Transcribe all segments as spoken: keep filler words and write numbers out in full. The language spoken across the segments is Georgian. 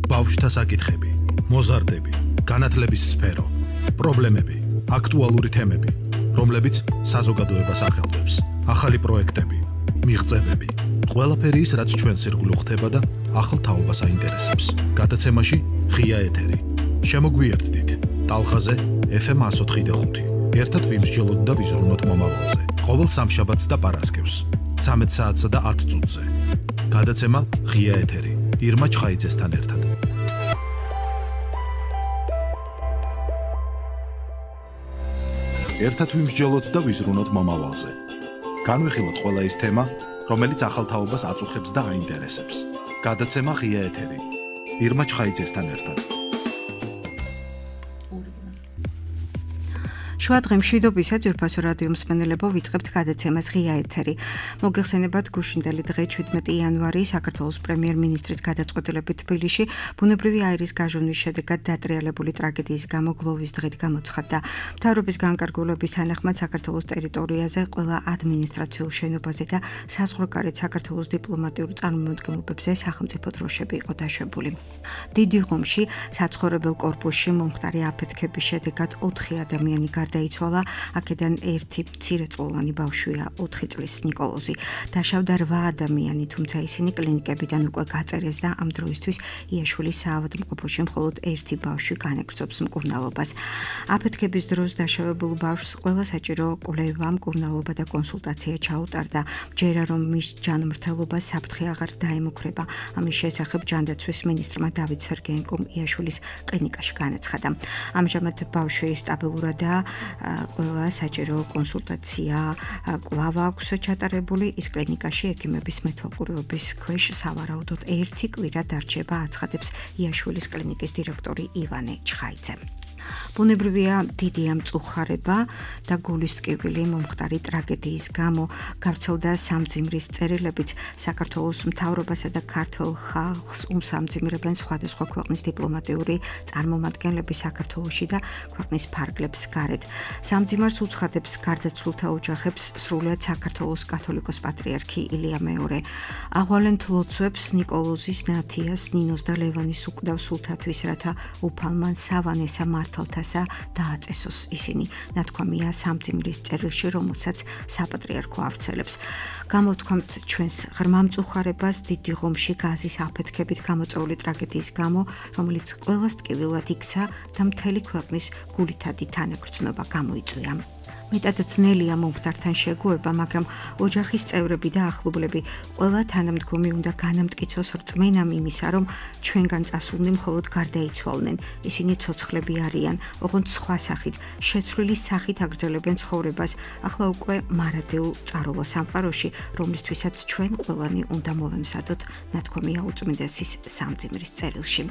ბავშვთა საკითხები, მოზარდები, განათლების სფერო, პრობლემები, აქტუალური თემები, რომლებიც საზოგადოებას ახელვებს, ახალი პროექტები, მიღწევები, ყველაფერი ის, რაც ჩვენს ირგვლივ ხდება და ახალ თაობას აინტერესებს. გადაცემაში ღია ეთერი. შემოგვიერთდით ტალღაზე ეფ ემ εκατო ოთხი და ხუთი. ერთად ვიმსჯელოთ და ვიზრუნოთ მომავალზე. ყოველ სამშაბათს და პარასკევს, ცამეტ საათსა და ათ წუთზე. გადაცემა ღია ეთერი. ირმა ჩხაიძესთან ერთად. ერთად ვიმსჯელოთ და ვიზრუნოთ მომავალზე. განვიხილოთ ყველა ის თემა, რომელიც ახალ თაობას აწუხებს და აინტერესებს. გადაცემა ღია ეთერი. ირმა ჩხაიძესთან ერთად. შუა დღე მშვიდობისა ძვირფასო რადიო მსმენელებო, ვიწყებთ გადაცემას ღია ეთერი. მოგეხსენებათ გუშინდელი დღე შვიდმეტი იანვარი საქართველოს პრემიერ-მინისტრის გადაწყვეტილებით თბილისში ბუნებრივი აირის გაჟონვის შედეგად დატრიალებული ტრაგედიის გამო გლოვის დღით გამოცხადდა. მთავრობის განკარგულების თანახმად საქართველოს ტერიტორიაზე ყველა ადმინისტრაციულ შენობაზე და საზღვარგარეთ საქართველოს დიპლომატიურ წარმომადგენლობებზე სახელმწიფო დროშები იყო დაშვებული. დიდი ღომში საცხოვრებელ კორპუსში მომხდარი აფეთქების შედეგად ოთხი ადამიანი დაიცვალა, აქედან ერთი მცირეწლოვანი ბავშვია, ოთხი წლის ნიკოლოზი. დაშავდა რვა ადამიანი, თუმცა ისინი კლინიკებიდან უკვე გაწერეს და ამ დროისთვის იაშვილის საავადმყოფოში მხოლოდ ერთი ბავშვი განეგრძობს მკურნალობას. აფეთქების დროს დაშავებულ ბავშვს ყველა საჭირო კვლევა, მკურნალობა და კონსულტაცია ჩაუტარდა. ჯერა რომ მის ჯანმრთელობა საფრთხე აღარ დაემუქრება. ამის შესახებ ჯანდაცვის მინისტრმა დავით სერგეენკომ იაშვილის კლინიკაში განაცხადა. ამჟამად ბავშვი სტაბილურადაა, ყველა საჭირო კონსულტაცია კვლავ აქვს ჩატარებული. ის კლინიკაში ექიმების მეთვალყურეობის ქვეშ სავარაუდოდ ერთი კვირა დარჩება, აცხადებს იაშვილის კლინიკის დირექტორი ივანე ჩხაიძე. ბუნებრივია დიდი ამწუხარება და გულის ტკივილი მომხდარი ტრაგედიის გამო. გავრცელდა სამძიმრის წერილებიც. საქართველოს მთავრობასა და ქართველ ხალხს უმსამძიმრებენ სხვადასხვა ქვეყნის დიპლომატიური წარმომადგენლები საქართველოში და ქვეყნის ფარგლებს გარეთ. სამძიმარს უცხადებს გარდაცვლილთა ოჯახებს სრულიად საქართველოს კათოლიკოს პატრიარქი ილია მეორე. აღვალენ ლოცვებს ნიკოლოზის, ნათიას, ნინოს და ლევანის უკვდავ სულთათვის, რათა უფალმან სავანესა მართალთასა დააწესოს. ისინი ნათქვამია სამძიმრის წერილში, რომელსაც საპატრიარქო ავრცელებს. გამოვთქვამთ ჩვენს ღრმა მწუხარებას დიდი ღომში გაზის აფეთქებით გამოწვეული ტრაგედიის გამო, რომელიც ყველას ტკივილად იქცა და მთელი ქვეყნის გულითადი თანაგრძნობა გამოიწვია. მეტად ძნელია მომხდართან შეგუება, მაგრამ ოჯახის წევრები და ახლობლები ყველა თანამდგომი უნდა განამტკიცოს რწმენამ იმისა, რომ ჩვენგან წასულნი მხოლოდ გარდაიცვალნენ. ისინი ცოცხლები არიან, ოღონდ სხვა სახით, შეცვლილი სახით აგრძელებენ ცხოვრებას, ახლა უკვე მარადეულ წაროვა სამყაროში, რომლისთვისაც ჩვენ ყველანი უნდა მოვემზადოთ, ნათქვამია უწმინდესის სამძიმრის წერილში.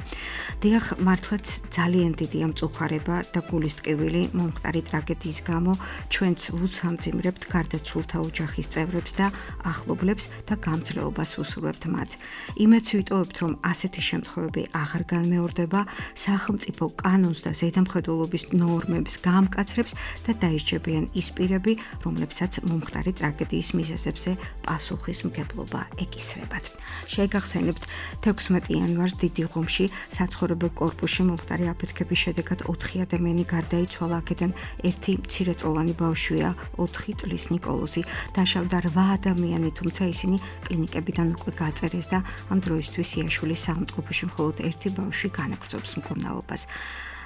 დიახ, მართლაც ძალიან დიდია მწუხარება და გულის ტკივილი მომხდარი ტრაგედიის გამო. ჩვენც ვუსამძიმრებთ გარდაცვლილთა ოჯახის წევრებს და ახლობლებს და გამძლეობას ვუსურვებთ მათ. იმედს ვიტოვებთ, რომ ასეთი შემთხვევები აღარ განმეორდება, სახელმწიფო კანონს და ზედამხედველობის ნორმებს გაამკაცრებს და დაისჯებიან ის პირები, რომლებსაც მომხდარი ტრაგედიის მიზეზებზე პასუხისმგებლობა ეკისრებათ. შეგახსენებთ, თექვსმეტი იანვარს დიდი ღომში საცხოვრებელ კორპუსში მომხდარი აფეთქების შედეგად ოთხი ადამიანი გარდაიცვალა, აქედან ერთი მცირეწლოვანი ბავშვია, ოთხი წლის ნიკოლოზი. დაშავდა რვა ადამიანი, თუმცა ისინი კლინიკებიდან უკვე გაწერეს და ამ დროისთვის იაშვილის საავადმყოფოში მხოლოდ ერთი ბავშვი განაგრძობს მკურნალობას.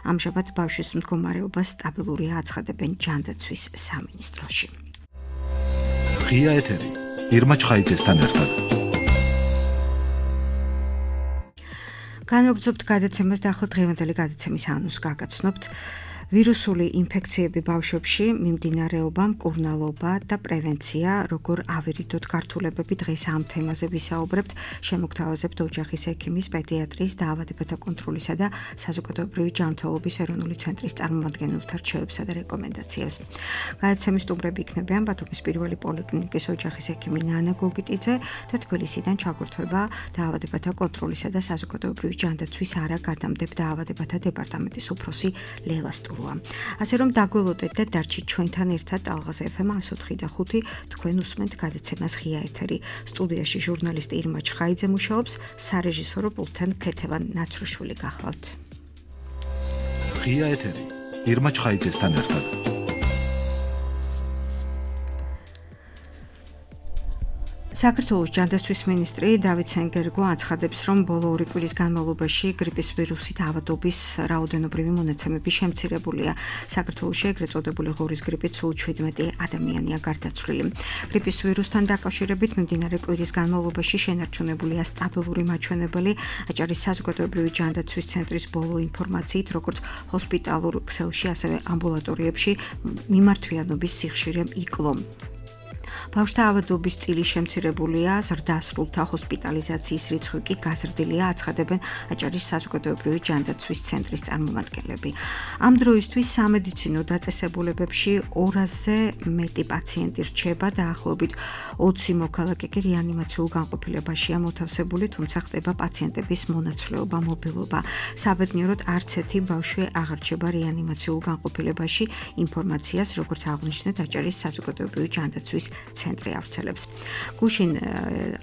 ამჟამად ბავშვის მდგომარეობა სტაბილურია, აცხადებენ ჯანდაცვის სამინისტროში. ღია ეთერი. ირმა ჩხაიძესთან ერთად. განვაგრძობთ გადაცემას და ახლა დღევანდელი გადაცემის ანონს გაგაცნობთ. ვირუსული ინფექციები ბავშვებში, მიმდინარეობა, მკურნალობა და პრევენცია, როგორ ავირიდოთ გართულებები. დღეს ამ თემაზე ვისაუბრებთ, შემოგთავაზებთ ოჯახის ექიმის, პედიატრის, დაავადებათა კონტროლისა და საზოგადოებრივი ჯანმრთელობის ეროვნული ცენტრის წარმომადგენელთა რჩევებსა და რეკომენდაციებს. გადაცემის სტუმრები იქნებიან ბათუმის პირველი პოლიკლინიკის ოჯახის ექიმი ნანა გოგიტიძე და თბილისიდან ჩაგვერთვება დაავადებათა კონტროლისა და საზოგადოებრივი ჯანდაცვის არა გადამდებ დაავადებათა დეპარტამენტის უფროსი ლელა სტურაძე. სტურუა. ასე რომ დაგველოდეთ და დარჩით ჩვენთან ერთად ალღაზ ეფ ემ one oh four და five თქვენ უსმენთ გადაცემას ღია ეთერი. სტუდიაში ჟურნალისტი ირმა ჩხაიძე მუშაობს, სარეჟისორო პულტთან ქეთევან ნაცრუშვილი გახლავთ. ღია ეთერი ირმა ჩხაიძესთან ერთად. საქართველოს ჯანდაცვის მინისტრი დავით სენგერგო აცხადებს, რომ ბოლო ორი კვირის განმავლობაში გრიპის ვირუსით ავადობის რაოდენობრივი მონაცემები შემცირებულია. საქართველოში ეგრეთ წოდებული ღორის გრიპით სულ შვიდმეტი ადამიანია გარდაცვლილი. გრიპის ვირუსთან დაკავშირებით მიმდინარე კვირის განმავლობაში შენარჩუნებულია სტაბილური მაჩვენებელი. აჭარის საზოგადოებრივი ჯანდაცვის ცენტრის ბოლო ინფორმაციით, როგორც ჰოსპიტალურ ქსელში, ასევე ამბულატორიებში მიმართვიანობის სიხშირე იკლო. ბავშვთა ავადობის წილი შემცირებულია, ზრდასრულთა ჰოსპიტალიზაციის რიცხვი კი გაზრდილია, აცხადებენ აჭარის საზოგადოებრივი ჯანდაცვის ცენტრის წარმომადგენლები. ამ დროისთვის სამედიცინო დაწესებულებებში ორასზე მეტი პაციენტი რჩება, დაახლოებით ოცი მოქალაქე კი რეანიმაციულ განყოფილებაშია მოთავსებული, თუმცა ხდება პაციენტების მონაცვლეობა, მობილობა. საბედნიეროდ არც ერთი ბავშვი აღარ რჩება რეანიმაციულ განყოფილებაში, ინფორმაციას, როგორც აღნიშნეთ, აჭარის საზოგადოებრივი ჯანდაცვის ცენტრი ავრცელებს. გუშინ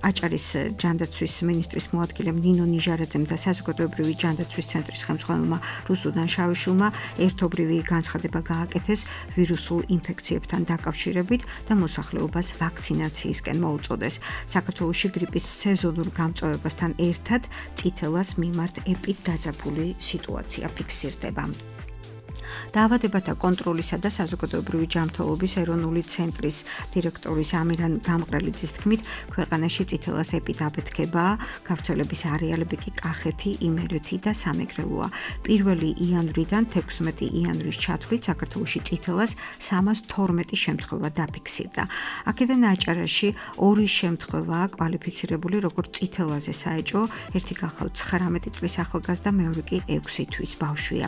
აჭარის ჯანდაცვის მინისტრის მოადგილემ ნინო ნიჟარაძემ და საზოგადოებრივი ჯანდაცვის ცენტრის ხელმძღვანელმა რუსუდან შავიშვილმა ერთობრივი განცხადება გააკეთეს ვირუსულ ინფექციებთან დაკავშირებით და მოსახლეობას ვაქცინაციისკენ მოუწოდეს. საქართველოში გრიპის სეზონურ გამწვავებასთან ერთად წითელას მიმართ ეპიდაძაბული სიტუაცია ფიქსირდება. დაავადებათა კონტროლისა და საზოგადოებრივი ჯანმრთელობის ეროვნული ცენტრის დირექტორის ამირან გამყრელიძის თქმით, ქვეყანაში წითელას ეპიდაბეთქება, გავრცელების არეალები კი კახეთი, იმერეთი და სამეგრელოა. პირველი იანვრიდან თექვსმეტი იანვრის ჩათვლით საქართველოში წითელას სამას თორმეტი შემთხვევა დაფიქსირდა. აქედან აჭარაში ორი შემთხვევაა კვალიფიცირებული როგორც წითელაზე საეჭვო, ერთი გახლავთ ცხრამეტი წლის ახალგაზრდა, მეორე კი ექვსი თვის ბავშვია.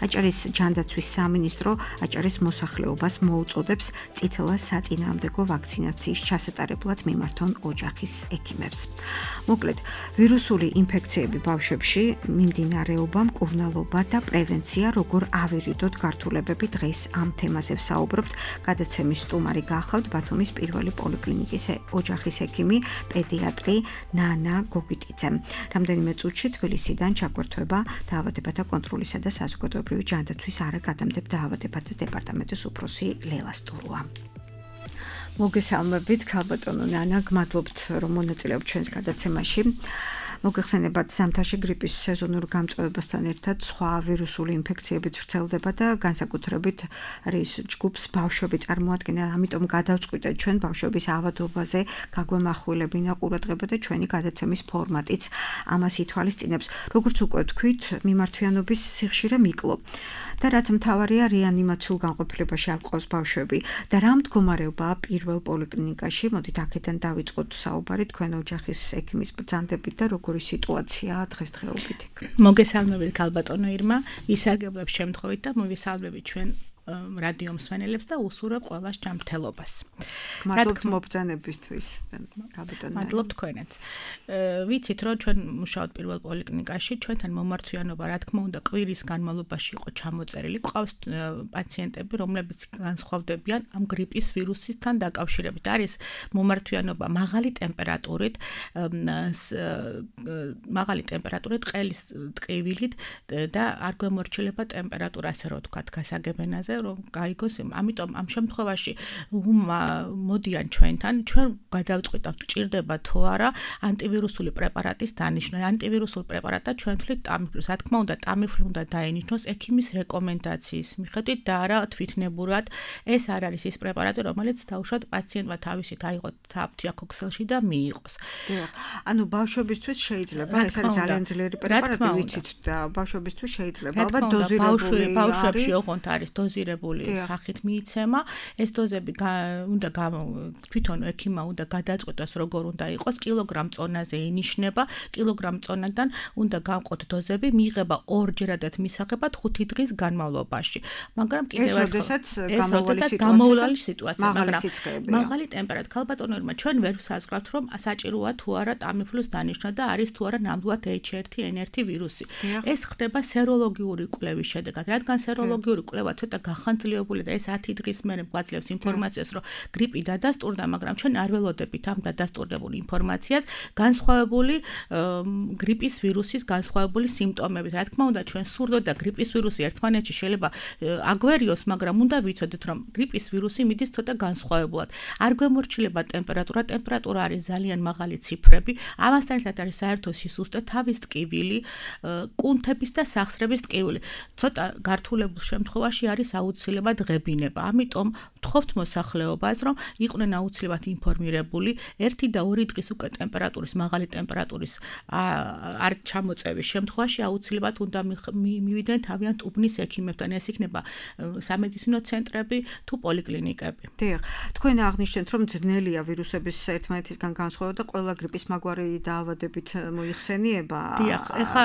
აჭარის ჯანდაცვის სამინისტრო აჭარის მოსახლეობას მოუწოდებს წითელას საწინააღმდეგო ვაქცინაციის ჩასატარებლად მიმართონ ოჯახის ექიმებს. მოკლედ, ვირუსული ინფექციები ბავშვებში, მიმდინარეობა, მკურნალობა და პრევენცია, როგორ ავირიდოთ გართულებები, დღეს ამ თემაზე ვსაუბრობთ. გადაცემის სტუმარი გახლავთ ბათუმის პირველი პოლიკლინიკის ოჯახის ექიმი, პედიატრი ნანა გოგიტიძე. რამდენიმე წუთში თბილისიდან ჩაგვერთვება დაავადებათა კონტროლისა და საზოგადოებრივი ჯანდაცვის არაგადამტებ დაავადებათა დეპარტამენტის უფროსი ლელა სტურუა. მოგესალმებით, ქალბატონო ნანა, გმადლობთ, რომ მონაწილეობთ ჩვენს გადაცემაში. მოგეხსენებათ, ზამთარში გრიპის სეზონურ გამწვავებასთან ერთად სხვა ვირუსული ინფექციებიც ვრცელდება და განსაკუთრებით არის ჯგუფს ბავშვები წარმოადგენენ, ამიტომ გადავწყვიტეთ ჩვენ ბავშვების ავადობაზე გაგვემახვილებინა ყურადღება და ჩვენი გადაცემის ფორმატიც ამას ითვალისწინებს. როგორც უკვე ვთქვით, მიმართვიანობის სიხშირე მიკლო და რაც მთავარია, რეანიმაციულ განყოფილებაში არ ყავს ბავშვები და რა მდგომარეობაა პირველ პოლიკლინიკაში. მოდით აქედან დავიწყოთ საუბარი თქვენ ოჯახის ექიმის ბრძანდებით და როგორი სიტუაციაა დღესდღეობით. მოგესალმებით ქალბატონო ირმა, ვისარგებლებ შემთხვევით და მოვისალმებით ჩვენ რადიო მსმენელებს და უსურვებ ყველას ჯანმრთელობას. მადლობთ მობრძანებისთვის, ქალბატონო. მადლობ თქვენაც. ვიცით, რომ ჩვენ მუშაობთ პირველ პოლიკლინიკაში, ჩვენთან მომართვიანობა, რა თქმა უნდა, კვირის განმავლობაში იყო ჩამოწერილი. ყავს პაციენტები, რომლებიც განსხვავდებიან ამ გრიპის ვირუსისთან დაკავშირებით. არის მომართვიანობა მაღალი ტემპერატურით, მაღალი ტემპერატურით, ყელის ტკივილით და არ გვემორჩილება ტემპერატურა, ასე რომ ვთქვათ, გასაგებენაზე, რომ გაიგოს. ამიტომ ამ შემთხვევაში მოდიან ჩვენთან, ჩვენ გადავწყვიტავთ, ჭირდება თუ არა ანტივირუსული პრეპარატის დანიშნა. ანტივირუსულ პრეპარატად ჩვენ თვლით ტამიფლუს. რა თქმა უნდა, ტამიფლუ უნდა დაენიშნოს ექიმის რეკომენდაციის მიხედვით და არა თვითნებურად. ეს არ არის ის პრეპარატი, რომელიც თავშოთ პაციენტმა თავისით აიღოს საფთიაქო ქსელში და მიიღოს. ანუ ბავშვებისთვის შეიძლება, ეს არის ძალიან ძლიერი პრეპარატი, ვიცით და ბავშვებისთვის შეიძლება, ალბათ დოზირებული ბავშვებში ოღონდ არის დოზირებული დოზირებული სახით მიიცემა. ეს დოზები უნდა თვითონ ექიმმა უნდა გადაწყვეტოს როგორ უნდა იყოს კილოგრამ წონაზე ინიშნება, კილოგრამ წონადან უნდა გავყოთ დოზები, მიიღება ორჯერადად მისაღებად ხუთი დღის განმავლობაში. მაგრამ კიდევ ერთხელ გამოვლალი სიტუაცია, მაგრამ მაღალი ტემპერატურა ქალბატონებმა ჩვენ ვერ ვსაზღვრავთ რომ საჭიროა თუ არა ტამიფლუს დანიშნა და არის თუ არა ნამდვილად ეიჩ ერთ ენ ერთ ვირუსი. ეს ხდება სეროლოგიური კვლევის შედეგად, რადგან სეროლოგიური კვლევა ცოტა გახანძლებული და ეს ათი დღის მერე გვაძლევს ინფორმაციას, რომ გრიპი დადასტურდა, მაგრამ ჩვენ არ ველოდებით ამ დადასტურებულ ინფორმაციას განსხვავებული გრიპის ვირუსის განსხვავებული სიმპტომებით. რა თქმა უნდა, ჩვენ სურდოთ და გრიპის ვირუსი ერთმანეთში შეიძლება აგვერიოს, მაგრამ უნდა ვიცოდეთ, რომ გრიპის ვირუსი მიდის ცოტა განსხვავებულად. არ გვემორჩილება ტემპერატურა, ტემპერატურა არის ძალიან მაღალი ციფრები. ამასთან ერთად არის საერთო სისუსტე, თავის ტკივილი, კუნთების და სახსრების ტკივილი. ცოტა გართულებულ შემთხვევაში არის აუცილებლად ღებინება. ამიტომ ვთხოვთ მოსახლეობას, რომ იყვნენ აუცილებლად ინფორმირებული ერთი და ორი დღის უკვე ტემპერატურის, მაღალი ტემპერატურის არ ჩამოწევის შემთხვევაში აუცილებლად უნდა მივიდნენ თავიანთ უბნის ექიმებთან. ეს იქნება სამედიცინო ცენტრები თუ პოლიკლინიკები. დიახ, თქვენ აღნიშნეთ, რომ ძნელია ვირუსების ერთმანეთისგან განსხვავება და ყველა გრიპის მაგვარი დაავადებით მოიხსენიება. დიახ, ეხა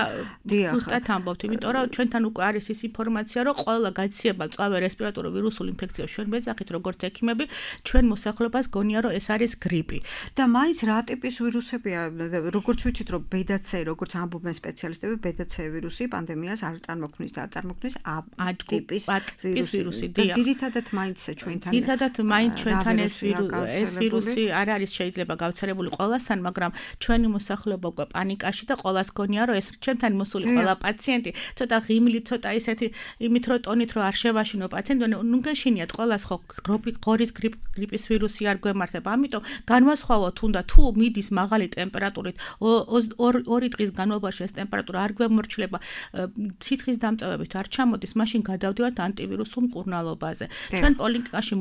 ზუსტად ამბობთ, იმიტომ რომ ჩვენთან უკვე არის ის ინფორმაცია, რომ ყველა გაცილება მწვავე რესპირატორული ვირუსული ინფექციას ჩვენ ვეძახით როგორც ექიმები, ჩვენ მოსახლეობას გონია რომ ეს არის გრიპი. და მაინც რა ტიპის ვირუსებია, როგორც ვიცით რომ ბედა ცე, როგორც ამბობენ სპეციალისტები, ბედა ცე ვირუსი პანდემიას არ წარმოქმნის და არ წარმოქმნის ა ტიპის ვირუსი. დიახ. ძირითადად მაინც ჩვენთან. ძირითადად მაინც ჩვენთან ეს ეს ვირუსი არ არის შეიძლება გავრცელებული ყველასთან, მაგრამ ჩვენი მოსახლეობა უკვე პანიკაში და ყველას გონია რომ ეს ჩვენთან მოსული ყველა პაციენტი ცოტა ღიმლი, ცოტა ისეთი იმით რომ ტონით რომ არ შევაშინო პაციენტი, ნუ გეშინიათ ყველას ხო ღორის გრიპის ვირუსი არ გვემართება. ამიტომ განვასხვავოთ უნდა თუ მიდის მაღალი ტემპერატურით ორი დღის განმავლობაში ეს ტემპერატურა არ გვემორჩილება, ციხის დამწევებით არ ჩამოდის, მაშინ გადავდივართ ანტივირუსულ მკურნალობაზე. ჩვენ პოლიკლინიკაში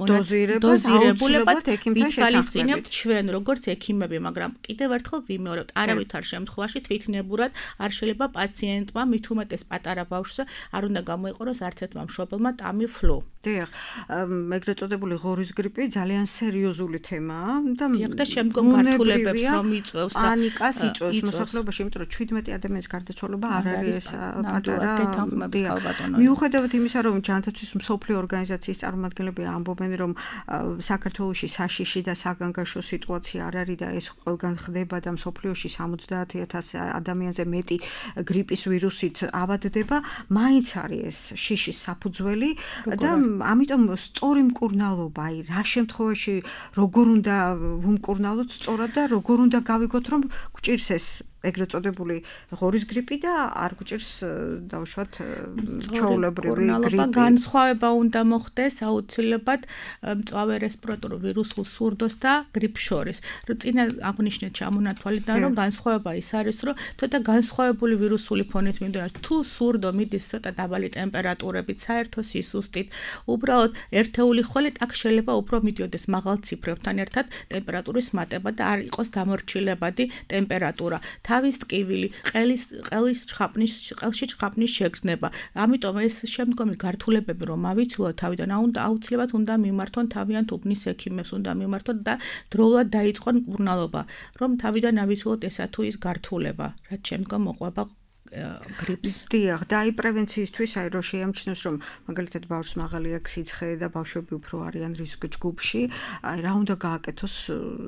დოზირებულებად ექიმთან შეთანხმებით ჩვენ როგორც ექიმები, მაგრამ კიდევ ერთხელ ვიმეორებთ, არავითარ შემთხვევაში თვითნებურად არ შეიძლება პაციენტმა, მით უმეტეს პატარა ბავშვზე არ უნდა გამოიყუროს არც ერთმა მშობელმა ტამიფლუ. დიახ, ეგრეთ წოდებული ღორის გრიპი ძალიან სერიოზული თემაა და და შემდგომ გართულებებს რომ იწვევს და პანიკას იწვევს მოსახლეობაში, იმიტომ რომ შვიდმეტი ადამიანის გარდაცვალება არ არის ეს პატარა. მიუხედავად იმისა, რომ ჯანმრთელობის მსოფლიო ორგანიზაციის წარმომადგენლები ამბობენ, რომ საქართველოში საშიში და საგანგაშო სიტუაცია არ არის და ეს ყველგან ხდება და მსოფლიოში სამოცდაათი ათასი ადამიანზე მეტი გრიპის ვირუსით ავადდება, მაინც არის ეს შიშის საფუძველი და ამიტომ სწორი მკურნალობა, აი რა შემთხვევაში როგორ უნდა ვუმკურნალოთ სწორად და როგორ უნდა გავიგოთ, რომ გვჭირს ეს ეგრეთ წოდებული ღორის გრიპი და არ გვჭირს დავუშვათ ჩვეულებრივი გრიპი. განსხვავება უნდა მოხდეს აუცილებლად მწვავე რესპირატორულ ვირუსულ სურდოს და გრიპს შორის. წინა აღნიშნეთ ჩამონათვალიდან რომ განსხვავება ის არის, რომ ცოტა განსხვავებული ვირუსული ფონით მიმდინარეობს. თუ სურდო მიდის ცოტა დაბალი ტემპერატურებით, საერთო სისუსტით, უბრალოდ ერთეული ხვალით აქ შეიძლება უფრო მიდიოდეს მაღალ ციფრებთან ერთად ტემპერატურის მატება და არ იყოს დამორჩილებადი ტემპერატურა. თავის ტკივილი, ყელის ყელის ჩხაპნის ყელში ჩხაპნის შეგრძნება. ამიტომ ეს შემდგომი გართულებები რომ ავიცილოთ თავიდან, უნდა აუცილებლად უნდა მიმართონ თავიანთ უბნის ექიმებს, უნდა მიმართონ და დროულად დაიწყონ მკურნალობა, რომ თავიდან ავიცილოთ ესა თუ ის გართულება, რაც შემდგომ მოყვება გრიპს. დიახ, და აი პრევენციისთვის აი რო შეამჩნევს, რომ მაგალითად ბავშვს მაღალი აქვს სიცხე და ბავშვები უფრო არიან რისკ ჯგუფში, აი რა უნდა გააკეთოს,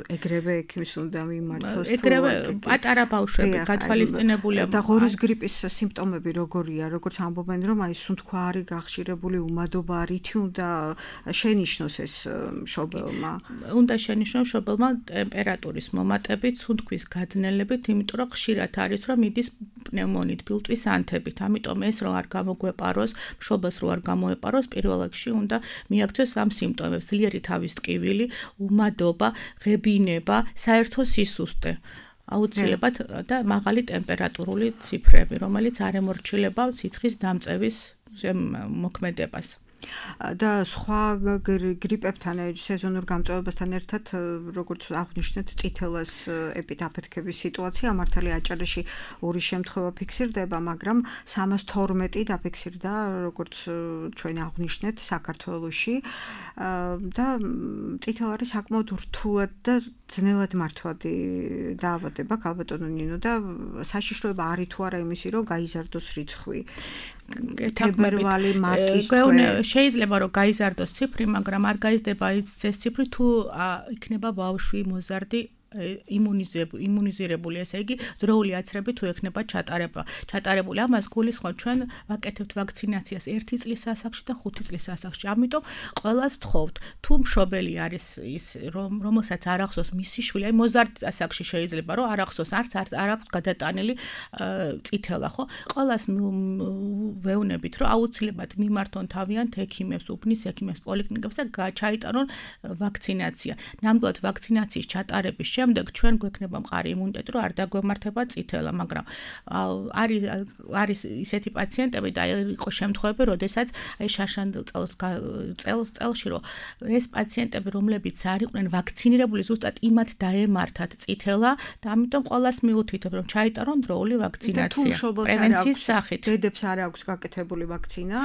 ეგრევე ექიმს უნდა მიმართოს. ეგრევე პატარა ბავშვები გათვალისწინებულია. და ღორის გრიპის სიმპტომები როგორია, როგორც ამბობენ, რომ აი სუნთქვა არის გახშირებული, უმადობა, რითი უნდა შენიშნოს ეს მშობელმა? უნდა შენიშნოს მშობელმა ტემპერატურის მომატებით, სუნთქვის გაძნელებით, იმიტომ რომ ხშირად არის რომ მიდის პნევმონია ბილტვის ანთებით. ამიტომ ეს რომ არ გამოგვეპაროს, მშობელს რო არ გამოეპაროს, პირველ რიგში უნდა მიაქცევს ამ სიმპტომებს: ძლიერი თავის ტკივილი, უმადობა, ღებინება, საერთო სისუსტე. აუცილებლად და მაღალი ტემპერატურული ციფრები, რომელიც არ ემორჩილება სიცხის დამწევის მოქმედებას. და სხვა გრიპებთან, სეზონურ გამწვავებასთან ერთად, როგორც აღნიშნეთ, წითელას ეპიდაფეთქების სიტუაცია მართალი აჭარაში ორი შემთხვევა ფიქსირდება, მაგრამ სამას თორმეტი დაფიქსირდა, როგორც ჩვენ აღნიშნეთ, საქართველოში და წითელ არის საკმაოდ რთულად და ძნელად მართვადი დაავადება, ქალბატონო ნინო, და საშიშროება არის თუ არა იმისი, რომ გაიზარდოს რიცხვი. თებერვალი, მარტის თვე შეიძლება რომ გაიზარდოს ციფრი, მაგრამ არ გაიზრდება ის ციფრი თუ იქნება ბავშვი მოზარდი იმუნიზირებული, ესე იგი დროული აცრები თუ ექნება ჩატარება. ჩატარებული ამას გულისხმობ ჩვენ ვაკეთებთ ვაქცინაციას ერთი წლის ასაკში და ხუთი წლის ასაკში. ამიტომ ყველას ვთხოვთ, თუ მშობელი არის ის რომელსაც არ ახსოვს მისი შვილი, აი მოზარდ ასაკში შეიძლება რომ არ ახსოვს, არც არ აქვს გადატანილი წითელა, ხო? ყველას ვეუბნებით, რომ აუცილებლად მიმართონ თავიანთ ექიმებს, უბნის ექიმებს, პოლიკლინიკებს და ჩაიტარონ ვაქცინაცია. ნამდვილად ვაქცინაციის ჩატარების შემდეგ ჩვენ გვექნება მყარი იმუნიტეტი, რომ არ დაგვემართება წითელა, მაგრამ არის არის ისეთი პაციენტები და იყო შემთხვევები, როდესაც აი შაშანდელ წელს წელს წელში რომ ეს პაციენტები, რომლებიც არ იყვნენ ვაქცინირებული, ზუსტად იმათ დაემართათ წითელა და ამიტომ ყველას მიუთითებ, რომ ჩაიტარონ დროული ვაქცინაცია პრევენციის სახით. დედებს არ აქვს გაკეთებული ვაქცინა,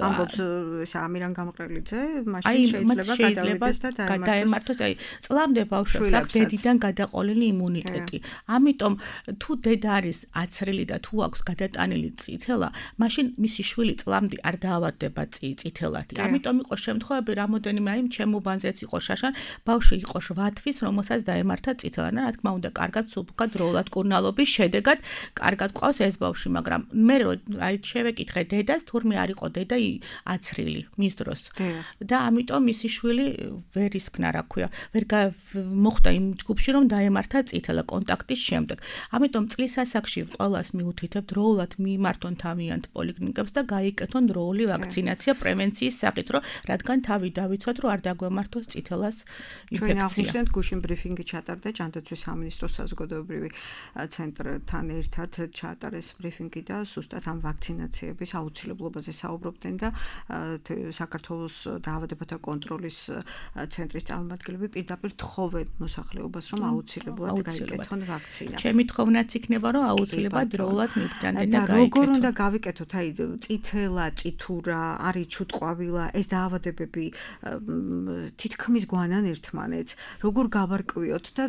ამბობს ეს ამირან გამყრელიძე, მაშინ შეიძლება გადავიდეს და დაემართოს. აი წლამდე ბავშვებს აქვს დედიდან გადაყოლილი იმუნიტეტი. ამიტომ თუ დედა არის აცრილი და თუ აქვს გადატანილი წითელა, მაშინ მისი შვილი წლამდე არ დაავადდება წითელად. ამიტომ იყო შემთხვევები, რამოდენიმე აი ჩემ უბანზეც იყო შაშან, ბავშვი იყო შვიდ თვის, რომელსაც დაემართა წითელა. რა თქმა უნდა, კარგად სუბუქა დროულად კურნალობის შედეგად კარგად ყავს ეს ბავშვი, მაგრამ მე აი შევეკითხე დედას, თურმე არ იყო დედა აცრილი მის დროს. და ამიტომ მისი შვილი ვერ ისქნა, რა ქვია, ვერ მოხდა იმ ჯგუფში, რომ დაემართა წითელა კონტაქტის შემდეგ. ამიტომ წლის ასაკში ყველას მიუთითებ დროულად მიმართონ თავიანთ პოლიკლინიკებს და გაიკეთონ დროული ვაქცინაცია პრევენციის სახით, რომ რადგან თავი დავიცვათ, რომ არ დაგვემართოს წითელას ინფექცია. ჩვენ აღნიშნეთ გუშინ ბრიფინგი ჩატარდა ჯანდაცვის სამინისტროს საზოგადოებრივი ცენტრთან ერთად ჩაატარეს ბრიფინგი და ზუსტად ამ ვაქცინაციების აუცილებლობაზე საუბრობდნენ და საქართველოს დაავადებათა კონტროლის ცენტრის წარმომადგენლები პირდაპირ თხოვენ მოსახლეობას, რომ აუცილებლად გაიკეთონ ვაქცინა. ჩემი თხოვნაც იქნება, რომ აუცილებლად დროულად მიგზავნեն და გაიკეთონ. როგორ უნდა გავიკეთოთ? აი წითელა, წითურა, არის ჩუტყვავილა, ეს დაავადებები თითქმის გვანან ერთმანეთს. როგორ გავარკვიოთ და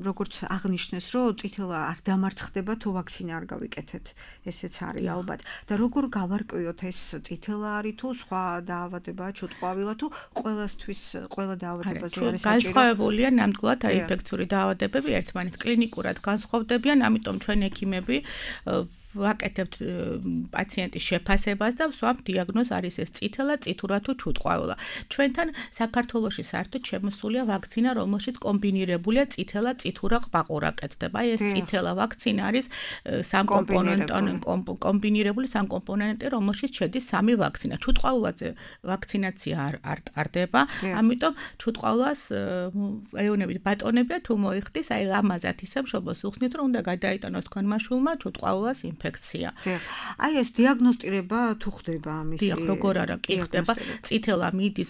როგორც აღნიშნეს, რომ წითელა არ დამარცხდება თუ ვაქცინა არ გავიკეთეთ. ესეც არის ალბათ. და როგორ გავარკვიოთ ეს წითელა არის თუ სხვა დაავადება, ჩუტყვავილა თუ ყველასთვის ყველა დაავადებაზე არის საჭირო? განსხვავებულია ნამდვილად აი ინფექციური დაავადებები ერთმანეთს კლინიკურად განსხვავდებიან, ამიტომ ჩვენ ექიმები ვაკეთებთ პაციენტის შეფასებას და ვსვამთ დიაგნოზს, არის ეს წითელა, წითურა თუ ჩუტყვავილა. ჩვენთან საქართველოში საერთოდ შემოსულია ვაქცინა, რომელშიც კომბინირებულია წითელა, წითურა, ყბაყურა კეთდება. აი ეს წითელა ვაქცინა არის სამკომპონენტიანი კომბინირებული სამკომპონენტი, რომელშიც შედის სამი ვაქცინა. ჩუტყვავილაზე ვაქცინაცია არ არ ტარდება, ამიტომ ჩუტყვავილას ეუნებით ბატონებია თუ მოიხდის, აი ლამაზად ისე მშობლოს უხსნით, რომ უნდა გადაიტანოს თქვენმა შვილმა ჩუტყვავილას ინფექცია. აი ეს დიაგნოსტირება თუ ხდება ამისი? დიახ, როგორ არა, კი ხდება. წითელა მიდის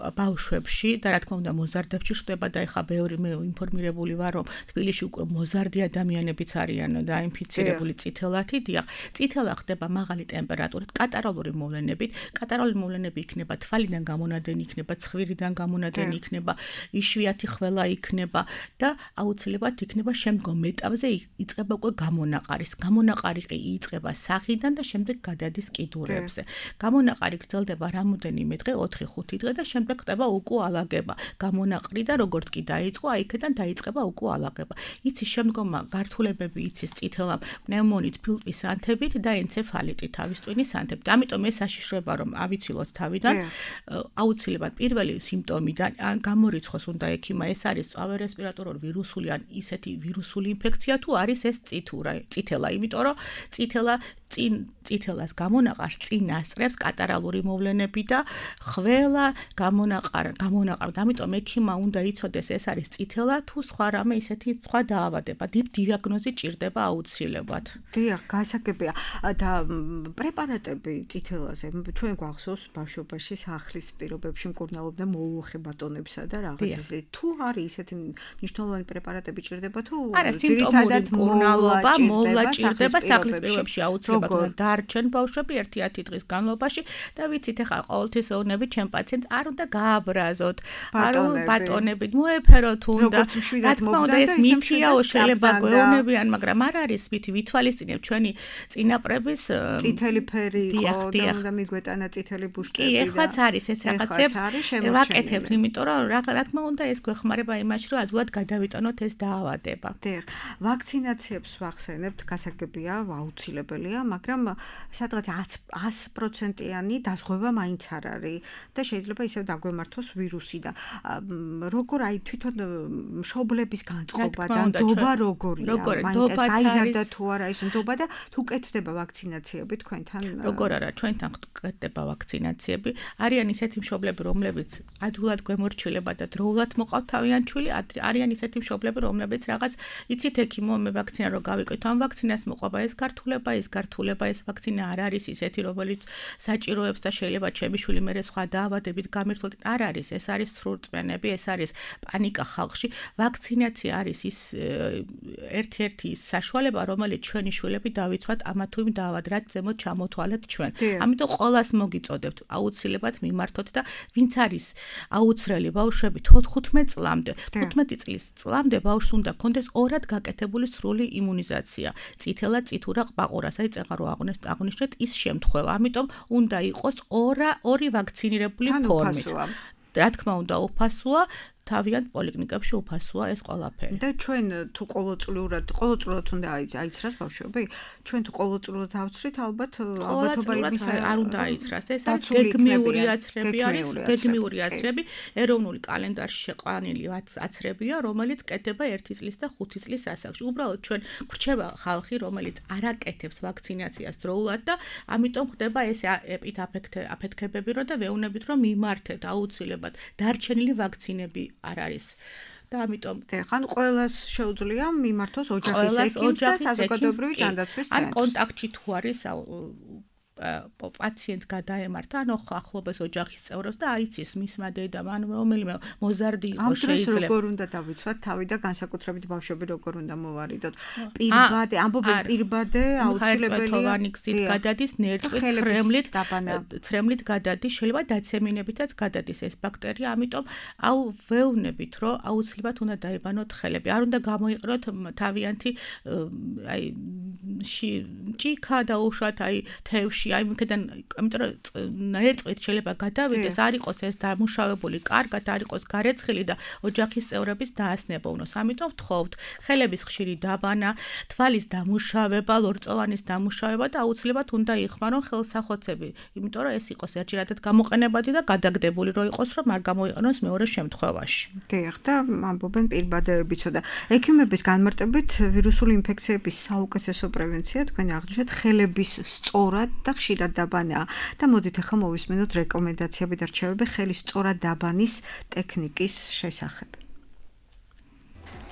ბავშვებში და რა თქმა უნდა მოზარდებში ხდება და ეხა ბევრი მე ინფორმირებული ვარ, რომ თბილისში უკვე მოზარდი ადამიანებიც არიან დაინფიცირებული წითელათი. დიახ, წითელა ხდება მაღალი ტემპერატურით, კატარალური მოვლენებით. კატარალური მოვლენები იქნება თვალიდან გამონადენი, იქნება ცხვირიდან გამონადენი, იქნება იშვიათი ხველა იქნება და აუცილებლად იქნება შემდგომ ეტაპზე იწყება უკვე გამონაყარის. გამონაყარი იწყება სახიდან და შემდეგ გადადის კიდურებზე. გამონაყარი გრძელდება რამოდენიმე დღე, ოთხი ხუთი დღე და შემდეგ ხდება უკუალაგება. გამონაყრი და როგორც კი დაიწყო, აიქიდან დაიწყება უკუალაგება. იცის შემდგომა გართულებები, იცის წითელა, პნევმონით, ფილტვის ანთებით და ენცეფალიტით, თავის ტვინის ანთებით. ამიტომ ეს საშიშროება რომ ავიცილოთ თავიდან, აუცილებლად პირველი სიმპტომიდან გამორიცხოს უნდა ექიმა, ეს არის წვავერესპირატორული რესპირატორული ვირუსული ან ისეთი ვირუსული ინფექცია თუ არის ეს წითურა წითელა იმიტომ რომ წითელა წინ წითელას გამონაყარს წინ ასწრებს კატარალური მოვლენები და ყველა გამონაყარ გამონაყარ ამიტომ ექიმმა უნდა იცოდეს ეს არის წითელა თუ სხვა რამე ისეთი სხვა დაავადება დიაგნოზი ჭირდება აუცილებლად დიახ გასაგებია და პრეპარატები წითელაზე ჩვენ გვახსოვს ბავშვობაში სახლის პირობებში მკურნალობდა მოუხე ბატონებსა და რაღაც ისე თუ არის ისეთი მნიშვნელოვანი პრეპარატები ჭირდება თუ არა სიმპტომური მკურნალობა მოვლა ჭირდება სახლის პირობებში აუცილებლად დარჩენ ბავშვები ერთი-ერთი დღის განმავლობაში და ვიცით ახლა ყოველთვის ვეუბნები ჩემ პაციენტს არ უნდა გააბრაზოთ არ ბატონები მოეფეროთ უნდა რა თქმა უნდა ეს მითიაო შეიძლება გვეუბნებიან მაგრამ არ არის მითი ვითვალისწინებ ჩვენი წინაპრების წითელი ფერი იყო და უნდა მიგვეტანა წითელი ბუშკები კი ეხლაც არის ეს რაღაცებს ვაკეთებთ იმიტომ რომ რა თქმა უნდა ეს გვეხმარება იმაში რომ ადვილად გადავიტანოთ ეს დაავადება დიახ ვაქცინაციებს ვახსენებთ გასაგებია აუცილებელია მაგრამ სადღაც ათი პროცენტიანი დაზღვევა მაინც არ არის და შეიძლება ისევ დაგვემართოს ვირუსი და როგორ აი თვითონ მშობლების განწყობა და ნდობა როგორია მაინც გაიზარდა თუ არა ის ნდობა და თუ კეთდება ვაქცინაციები თქვენთან როგორ არა ჩვენთან კეთდება ვაქცინაციები არიან ისეთი მშობლები რომლებიც ადვილად გვემორჩილება და დროულად მოყავთ თავიანთ ჩვილი არიან ისეთი მშობლები რომლებიც რაღაც იცით ექიმო მე ვაქცინა რო გავიკეთო ამ ვაქცინას მოყვება ეს გართულება ეს გართულება ეს ვაქცინა არ არის ისეთი რომელიც საჭიროებს და შეიძლება ჩემი შვილი მერე სხვა დაავადებით გამირთულიყო არ არის ეს არის სრულწმენები ეს არის პანიკა ხალხში ვაქცინაცია არის ის ერთ-ერთი საშუალება რომელიც ჩვენი შვილები დავიცვათ ამა თუ იმ დაავად რაც ზემოთ ჩამოთვალეთ ჩვენ ამიტომ ყოველას მოგიწოდებთ აუცილებლად მიმართოთ და ვინც არის აუცრელი ბავშვები თხუთმეტ წლამდე თხუთმეტი წლის წლამდე ბავშვს უნდა კონდეს ორად გაკეთებული სრული იმუნიზაცია წითელა წითურა ყბაყურას აი წეღარო აღნიშნეთ ის შემთხვევა ამიტომ უნდა იყოს ორა ორი ვაქცინირებული ფორმით რა თქმა უნდა უფასოა თავიანთ პოლიკლინიკებში უფასოა ეს ყველაფერი. და ჩვენ თუ ყოველწლიურად ყოველწლიურად უნდა აიცრას ბავშვები? ჩვენ თუ ყოველწლიურად ავცრით ალბათ ალბათობა იმის არ უნდა აიცრას. ეს არის გეგმიური აცრები არის, გეგმიური აცრები, ეროვნული კალენდარში შეყვანილი აცრებია, რომელიც კეთდება ერთი წლის და ხუთი წლის ასაკში. უბრალოდ ჩვენ გვრჩება ხალხი, რომელიც არ აკეთებს ვაქცინაციას დროულად და ამიტომ ხდება ეს აფეთქებები, რომ და ვეუბნებით, რომ მიმართეთ აუცილებლად დარჩენილი ვაქცინები არ არის და ამიტომ ხან ყველას შეუძლია მიმართოს ოჯახის ექიმს და საზოგადოებრივი ჯანდაცვის ცენტრს. ან კონტაქტში თუ არის პაციენტს გადაემართა ან ახლობეს ოჯახის წევრებს და აიცის მისმა დედამ ან რომელიმე მოზარდი იყო შეიძლება. როგორ უნდა დავიცვათ თავი და განსაკუთრებით ბავშვები როგორ უნდა მოვარიდოთ. პირბადე, ამბობენ პირბადე აუცილებელია. გზით გადადის ნერწყვით ცრემლით, ცრემლით გადადის, შეიძლება დაცემინებითაც გადადის ეს ბაქტერია, ამიტომ აუ ვეუბნებით, რომ აუცილებლად უნდა დაიბანოთ ხელები. არ უნდა გამოიყენოთ თავიანთი აი ჭიქა დაუშვათ აი თევში აი მქედან ამიტომ ნერწყვით შეიძლება გადავიდეს არ იყოს ეს დამუშავებული კარგად არ იყოს გარეცხილი და ოჯახის წევრების დაასნება უნოს ამიტომ ვთხოვთ ხელების ხშირი დაბანა თვალის დამუშავება ლორწოვანის დამუშავება და აუცილებლად უნდა იხმარონ ხელსახოცები იმიტომ რომ ეს იყოს ერთჯერადად გამოყენებადი და გადაგდებული რო იყოს რომ არ გამოიყენოს მეორე შემთხვევაში დიახ და ამბობენ პირბადეებიცო და ექიმების განმარტებით ვირუსული ინფექციების საუკეთესო პრევენცია თქვენ აღნიშნეთ ხელების სწორად და ხშირად დაბანა და მოდით ახლა მოვისმენოთ რეკომენდაციები და რჩევები ხელის სწორად დაბანის ტექნიკის შესახებ.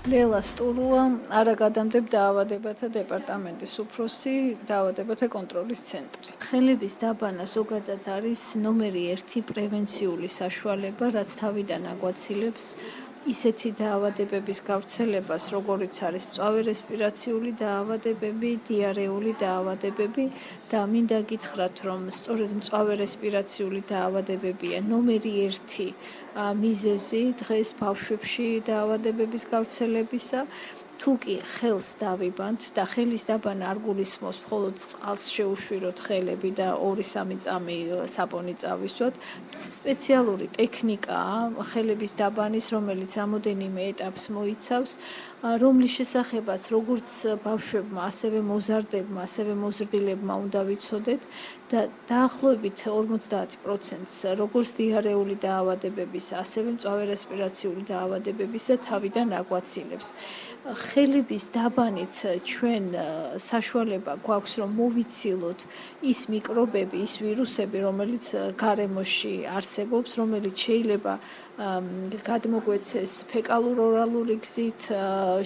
ლელა სტურუა არაგადამდებ დაავადებათა დეპარტამენტის უფროსი დაავადებათა კონტროლის ცენტრი. ხელების დაბანა ზოგადად არის ნომერი ერთი პრევენციული საშუალება, რაც თავიდან აგვაცილებს ისეთი დაავადებების გავრცელებას, როგორიც არის მწვავე რესპირაციული დაავადებები, დიარეული დაავადებები და მინდა გითხრათ, რომ სწორედ მწვავე რესპირაციული დაავადებებია ნომერი ერთი მიზეზი დღეს ბავშვებში დაავადებების გავრცელებისა თუ კი ხელს დავიბანთ და ხელის დაბანა არ გულისხმობს მხოლოდ წყალს შეუშვიროთ ხელები და ორი სამი წამი საპონი წავისვათ, სპეციალური ტექნიკაა ხელების დაბანის, რომელიც რამოდენიმე ეტაპს მოიცავს, რომლის შესახებაც როგორც ბავშვებმა, ასევე მოზარდებმა, ასევე მოზრდილებმა უნდა ვიცოდეთ და დაახლოებით ორმოცდაათი პროცენტს როგორც დიარეული დაავადებების, ასევე მწვავე რესპირაციული დაავადებებისა თავიდან აგვაცილებს. ხელების დაბანით ჩვენ საშუალება გვაქვს რომ მოვიცილოთ ის მიკრობები, ის ვირუსები, რომელიც გარემოში არსებობს, რომელიც შეიძლება გადმოგვეცეს ფეკალურ-ორალური გზით,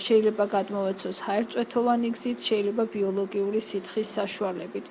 შეიძლება გადმოვეცოს ჰაერწვეთოვანი გზით, შეიძლება ბიოლოგიური სითხის საშუალებით.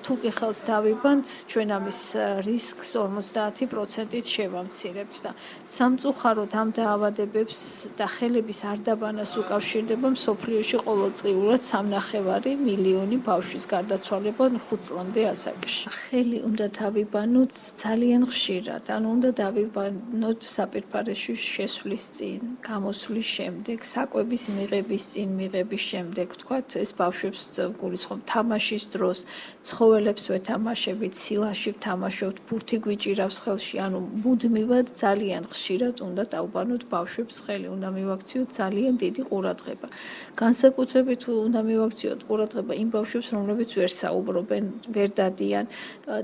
თუ კი ხელს დავიბანთ, ჩვენ ამის რისკს ორმოცდაათი პროცენტით შევამცირებთ და სამწუხაროდ ამ დაავადებებს და ხელების არ დაბანას უკავშირდება მსოფლიოში ყოველწლიურად სამნახევარი მილიონი ბავშვის გარდაცვალება ხუთ წლამდე ასაკში. ხელი უნდა დავიბანოთ ძალიან ხშირად, ანუ უნდა დავიბანოთ საპირფარეში შესვლის წინ, გამოსვლის შემდეგ, საკვების მიღების წინ, მიღების შემდეგ, თქვათ, ეს ბავშვებს გულისხმობ თამაშის დროს, ცხოველებს ვეთამაშებით, სილაში ვთამაშობთ, ბურთი გვიჭირავს ხელში, ანუ მუდმივად ძალიან ხშირად უნდა დავბანოთ ბავშვებს ხელი, უნდა მივაქციოთ ძალიან დიდი ყურადღება. განსაკუთრებით უნდა მივაქციოთ ყურადღება იმ ბავშვებს, რომლებიც ვერ საუბრობენ, ვერ დადიან,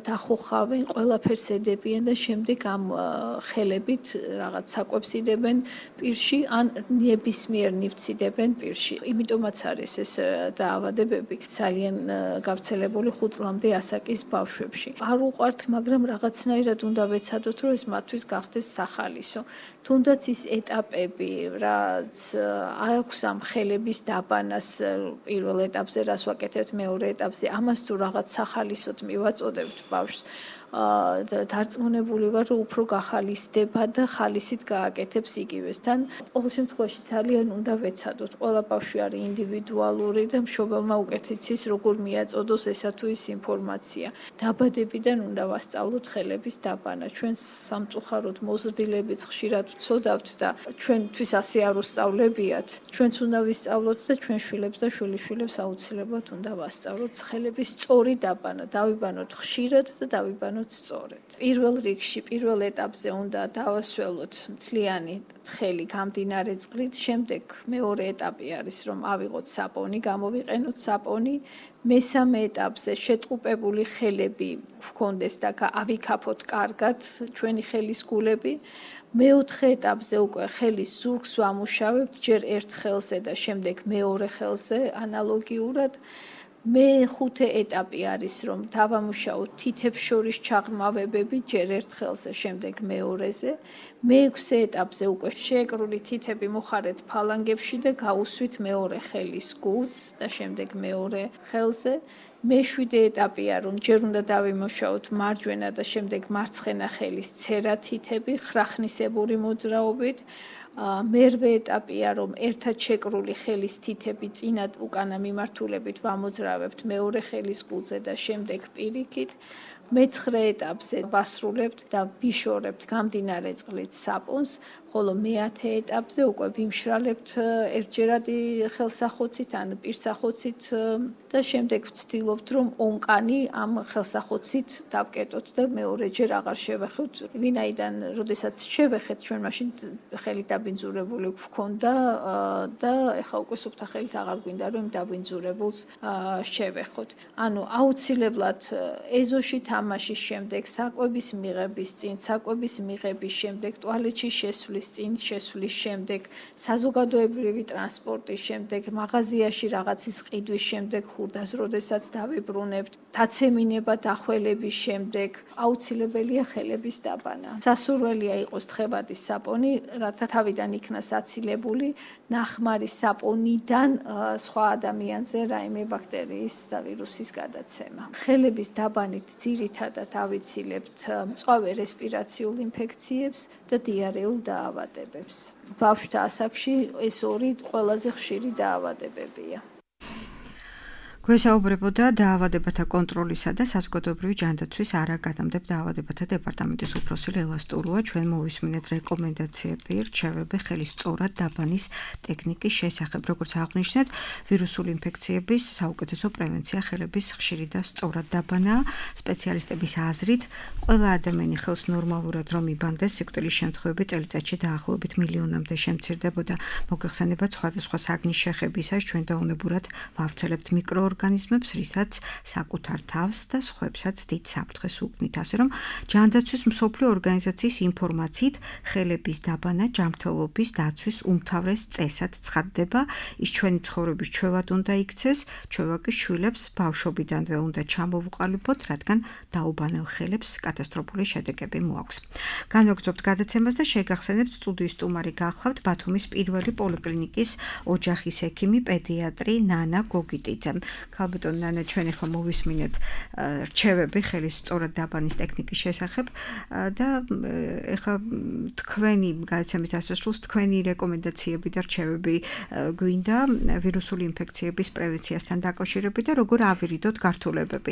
დახოხავენ, ყველაფერს ედებიან და შემდეგ ამ ხელებით რაღაც საკვებს იდებენ პირში, ან ნებისმიერ ნივთს იდებენ პირში. იმიტომაც არის ეს დაავადებები ძალიან გავრცელებული ხუთ წლამდე ასაკის ბავშვებში. არ უყვართ, მაგრამ რაღაცნაირად უნდა ვეცადოთ, რომ ეს მათთვის გახდეს სახალისო. თუნდაც ის ეტაპები, რაც აქვს ამ ხელების დაბანას პირველ ეტაპზე, რას ვაკეთებთ მეორე ეტაპზე, ამას თუ რაღაც სახალისოდ მივაწოდებთ ბავშვს, დარწმუნებული ვარ, რომ უფრო გახალისდება და ხალისით გააკეთებს იგივესთან. ყოველ შემთხვევაში ძალიან უნდა ვეცადოთ. ყველა ბავშვი არის ინდივიდუალური და მშობელმა უკეთ იცის, როგორ მიაწოდოს ესა თუ ის ინფორმაცია. დაბადებიდან უნდა ვასწავლოთ ხელების დაბანა. ჩვენ სამწუხაროდ მოზრდილებიც ხშირად ვცოდავთ და ჩვენთვის ასე არ უსწავლებიათ. ჩვენც უნდა ვისწავლოთ და ჩვენ შვილებს და შვილიშვილებს აუცილებლად უნდა ვასწავლოთ ხელების სწორი დაბანა. დავიბანოთ ხშირად და დავიბანოთ სწორედ. პირველ რიგში, პირველ ეტაპზე უნდა დავასველოთ მთლიანი ხელი გამდინარე წყლით, შემდეგ მეორე ეტაპი არის, რომ ავიღოთ საპონი, გამოვიყენოთ საპონი, მესამე ეტაპზე შეტყუპებული ხელები გვქონდეს და ავიქაფოთ კარგად ჩვენი ხელის გულები. მეოთხე ეტაპზე უკვე ხელის ზურგს ვამუშავებთ ჯერ ერთ ხელზე და შემდეგ მეორე ხელზე ანალოგიურად. მეხუთე ეტაპი არის, რომ დავამუშავოთ თითებს შორის ჩაღრმავებები ჯერ ერთ ხელზე, შემდეგ მეორეზე. მეექვსე ეტაპზე უკვე შეეკრული თითები მოხარეთ ფალანგებში და გაუსვით მეორე ხელის გულს და შემდეგ მეორე ხელზე. მეშვიდე ეტაპია, რომ ჯერ უნდა დავიმუშაოთ მარჯვენა და შემდეგ მარცხენა ხელის ცერა თითები ხრახნისებური მოძრაობით. მერვე ეტაპია, რომ ერთად შეკრული ხელის თითები წინად უკანა მიმართულებით ვამოძრავებთ მეორე ხელის გულზე და შემდეგ პირიქით. მეცხრე ეტაპზე ვასრულებთ და ვიშორებთ გამდინარე წყლით საპონს, ხოლო მეათე ეტაპზე უკვე ვიმშრალებთ ერთჯერადი ხელსახოცით ან პირსახოცით და შემდეგ ვცდილობთ, რომ ონკანი ამ ხელსახოცით დავკეტოთ და მეორეჯერ აღარ შევეხოთ. ვინაიდან, როდესაც შევეხეთ, ჩვენ მაშინ ხელი დაბინძურებული გვქონდა და ეხლა უკვე სუფთა ხელით აღარ გვინდა, რომ დაბინძურებულს შევეხოთ. ანუ აუცილებლად ეზოში თამაშის შემდეგ, საკვების მიღების წინ, საკვების მიღების შემდეგ, ტუალეტში შესვლის წინ, შესვლის შემდეგ, საზოგადოებრივი ტრანსპორტის შემდეგ, მაღაზიაში რაღაცის ყიდვის შემდეგ, ხურდას როდესაც დავიბრუნებთ, დაცემინება დახველების შემდეგ, აუცილებელია ხელების დაბანა. სასურველია იყოს თხევადის საპონი, რათა თავიდან იქნას აცილებული ნახმარი საპონიდან სხვა ადამიანზე რაიმე ბაქტერიის და ვირუსის გადაცემა. ხელების დაბანით ძირითადად ავიცილებთ მწვავე რესპირაციულ ინფექციებს და დიარეულ დაავადებებს. ბავშვთა ასაკში ეს ორი ყველაზე ხშირი დაავადებებია. გვესაუბრებოდა დაავადებათა კონტროლისა და საზოგადოებრივი ჯანდაცვის არაგადამდებ დაავადებათა დეპარტამენტის უფროსი ლელა სტურუა. ჩვენ მოვისმინეთ რეკომენდაციები, რჩევები ხელის სწორად დაბანის ტექნიკის შესახებ. როგორც აღნიშნეთ, ვირუსული ინფექციების საუკეთესო პრევენცია ხელების ხშირი და სწორად დაბანა. სპეციალისტების აზრით, ყველა ადამიანი ხელს ნორმალურად რომ იბანდეს, სიკვდილის შემთხვევები წელიწადში დაახლოებით მილიონამდე შემცირდებოდა. მოგეხსენებათ სხვადასხვა საგნის შეხებისას ჩვენ დაუნებურად ვავრცელებთ მიკროორგანიზმებს, რისაც საკუთარ თავს და სხვებსაც დიდ საფრთხეს უქმნით. ასე რომ ჯანდაცვის მსოფლიო ორგანიზაციის ინფორმაციით, ხელების დაბანა ჯანმრთელობის დაცვის უმთავრეს წესად ცხადდება. ის ჩვენი ცხოვრების ჩვევად უნდა იქცეს, ჩვევა კი შვილებს ბავშვობიდანვე უნდა ჩამოვუყალიბოთ, რადგან დაუბანელ ხელებს კატასტროფული შედეგები მოაქვს. განვაგრძობთ გადაცემას და შეგახსენებთ სტუდიის სტუმარი გახლავთ ბათუმის პირველი პოლიკლინიკის ოჯახის ექიმი, პედიატრი ნანა გოგიტიძე. ქალბატონ ნანა, ჩვენ ახლა მოვისმინეთ რჩევები ხელის სწორად დაბანის ტექნიკის შესახებ და ახლა თქვენი გადაცემის დასასრულს თქვენი რეკომენდაციები და რჩევები გვინდა ვირუსული ინფექციების პრევენციასთან დაკავშირებით და როგორ ავირიდოთ გართულებები.